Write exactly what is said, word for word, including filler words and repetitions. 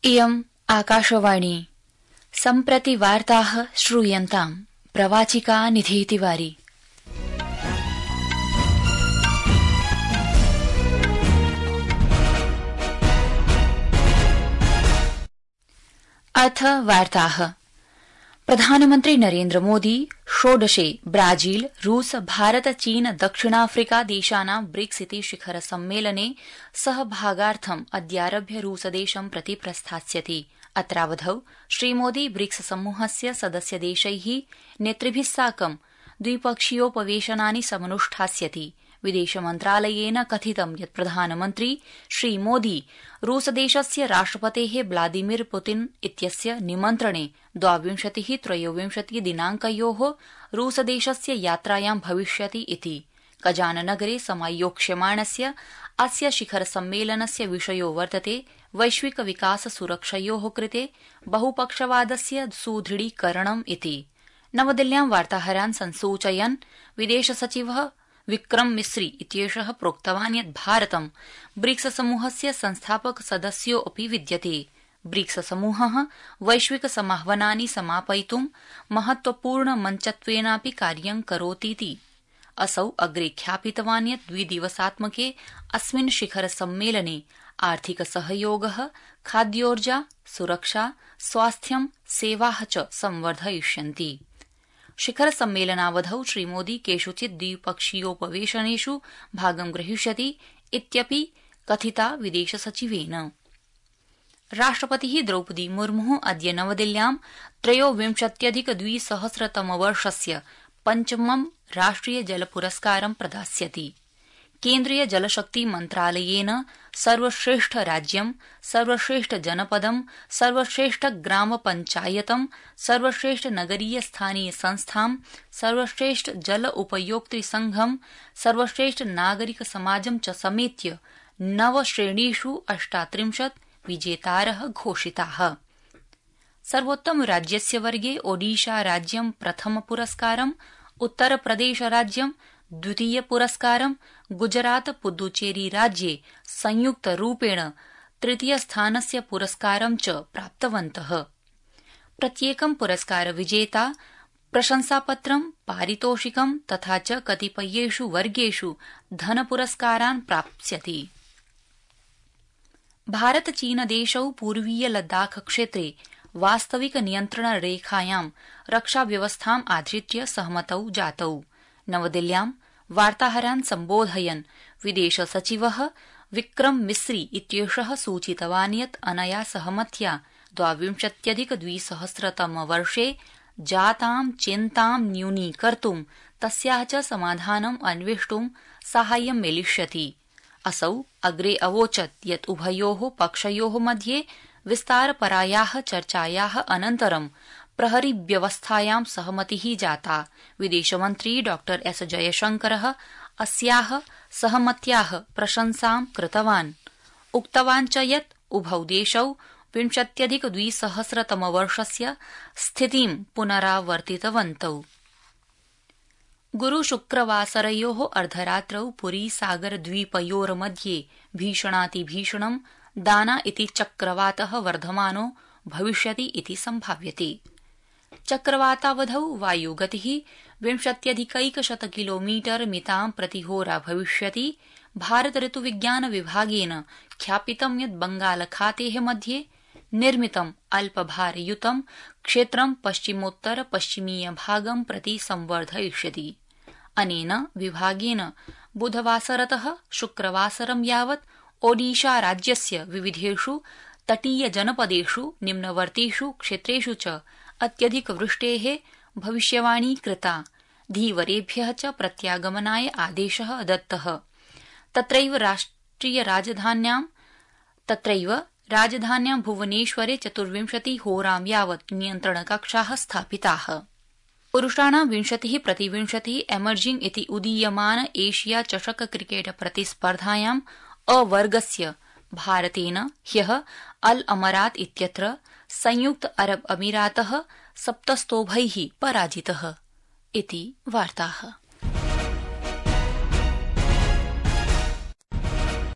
इयम् आकाशवाणी सम्प्रति वार्ताः श्रूयन्ताम् प्रवाचिका निधि तिवारी। अथ वार्ताः। प्रधानमन्त्री नरेन्द्र मोदी षोडशे ब्राजील रूस भारत चीन दक्षिणाफ्रिका देशानां ब्रिक्स इति शिखर सम्मेलने सहभागार्थम् अद्यारभ्य रूसदेशं प्रति प्रस्थास्यति। अत्रावधौ श्रीमोदी ब्रिक्स समूहस्य सदस्यदेशैः नेतृभिः साकं द्विपक्षीयोपवेशनानि समनुष्ठास्यति। विदेशमन्त्रालयेन कथितं यत् प्रधानमन्त्री श्रीमोदी रूसदेशस्य राष्ट्रपतेः व्लादिमीर पुतिन इत्यस्य निमन्त्रणे द्वाविंशतिः त्रयोविंशति दिनांकयोः रूसदेशस्य यात्रायां भविष्यति इति। कजाननगरे समायोक्ष्यमाणस्य अस्य शिखर सम्मेलनस्य विषयो वर्तते वैश्विक विकास सुरक्षयोः कृते बहुपक्षवादस्य सुदृढीकरणम् इति। नवदिल्ल्यां वार्ताहरान् संसूचयन् विदेश सचिवः विक्रम मिस्री इत्येषः प्रोक्तवान् यत् भारतं ब्रिक्स समूहस्य संस्थापक सदस्यो अपि विद्यते। ब्रिक्स समूहः वैश्विक समाह्वानानि समापयितुं महत्वपूर्ण मञ्चत्वेनापि कार्यं करोतीति असौ अग्रे ख्यापितवान् यत् द्विदिवसात्मके अस्मिन् शिखर सम्मेलने आर्थिक सहयोगः, खाद्योर्जा, सुरक्षा, स्वास्थ्यं, सेवाः च संवर्धयिष्यन्ति। शिखर सम्मेलनावधौ श्रीमोदी केषुचित् द्विपक्षीयोपवेशनेषु भागं ग्रहीष्यति इत्यपि कथिता विदेशसचिवेन। राष्ट्रपतिः द्रौपदी मुर्मुः अद्य नवदिल्ल्यां त्रयोविंशत्यधिक द्विसहस्रतमवर्षस्य पञ्चमं राष्ट्रिय जल पुरस्कारं प्रदास्यति। केन्द्रीय जलशक्ति मन्त्रालयेन सर्वश्रेष्ठ राज्यं, सर्वश्रेष्ठ जनपदं, सर्वश्रेष्ठ ग्राम पञ्चायतं, सर्वश्रेष्ठ नगरीय स्थानीय संस्थां, सर्वश्रेष्ठ जल उपयोक्तृ संघं, सर्वश्रेष्ठ नागरिक समाजं च समेत्य नव श्रेणीषु अष्टात्रिंशत् विजेतारः घोषिताः। सर्वोत्तम राज्यस्य वर्गे ओडिशा राज्यं प्रथम पुरस्कारं, उत्तरप्रदेश राज्यं द्वितीय पुरस्कारं, गुजरात पुदुचेरी राज्ये संयुक्तरूपेण तृतीय स्थानस्य पुरस्कारं च प्राप्तवन्तः। प्रत्येकं पुरस्कार विजेता प्रशंसापत्रं, पारितोषिकं तथा च कतिपयेषु वर्गेषु धनपुरस्कारान् प्राप्स्यति। भारत चीन देशौ पूर्वीय लद्दाख क्षेत्रे वास्तविक नियन्त्रण रेखायां रक्षाव्यवस्थाम् आधृत्य सहमतौ जातौ। नवदिल्ल्यां वार्ताहरान् सम्बोधयन् विदेश सचिवः विक्रम मिस्री इत्येषः सूचितवान् यत् अनया सहमत्या द्वाविंशत्यधिक द्विसहस्रतमवर्षे जातां चिन्तां न्यूनीकर्तुं तस्याः च समाधानम् अन्वेष्टुं साहाय्यं मिलिष्यति। असौ अग्रे अवोचत् यत् उभयोः पक्षयोः मध्ये विस्तारपरायाः चर्चायाः अनन्तरं प्रहरी व्यवस्थायां सहमतिः जाता। विदेशमन्त्री डॉ एस जयशंकरः अस्याः सहमत्याः प्रशंसां कृतवान्। उक्तवान् च यत् उभौ देशौ विंशत्यधिक द्विसहस्रतमवर्षस्य स्थितिं पुनरावर्तितवन्तौ। गुरुशुक्रवासरयोः अर्धरात्रौ पुरी सागर द्वीपयोर्मध्ये भीषणातिभीषणं दाना इति चक्रवातः वर्धमानो भविष्यति इति सम्भाव्यते। चक्रवातावधौ वायुगतिः विंशत्यधिकैकशत किलोमीटर मितां प्रतिहोरा भविष्यति। भारत ऋतुविज्ञान विभागेन ख्यापितं यत् बंगालखातेः मध्ये निर्मितं अल्पभारयुतं क्षेत्रं पश्चिमोत्तर पश्चिमीय भागं प्रति संवर्धयिष्यति। अनेन विभागेन बुधवासरतः शुक्रवासरं यावत् ओडिशा राज्यस्य विविधेषु तटीय जनपदेषु निम्नवर्तीषु क्षेत्रेषु च अत्यधिक वृष्टेः भविष्यवाणी कृता। धीवरेभ्यः च प्रत्यागमनाय आदेशः दत्तः। तत्रैव राष्ट्रिय राजधान्यां तत्रैव राजधान्यां भुवनेश्वरे चतुर्विंशति होरां यावत् नियन्त्रणकक्षाः स्थापिताः। पुरुषाणां विंशतिः प्रतिविंशतिः एमर्जिंग इति उदीयमान एशिया चषक क्रिकेट प्रतिस्पर्धायां अ वर्गस्य भारतेन ह्यः अल अमरात इत्यत्र संयुक्त अरब अमीरातः सप्तस्तोभैः पराजितः इति वार्ताः।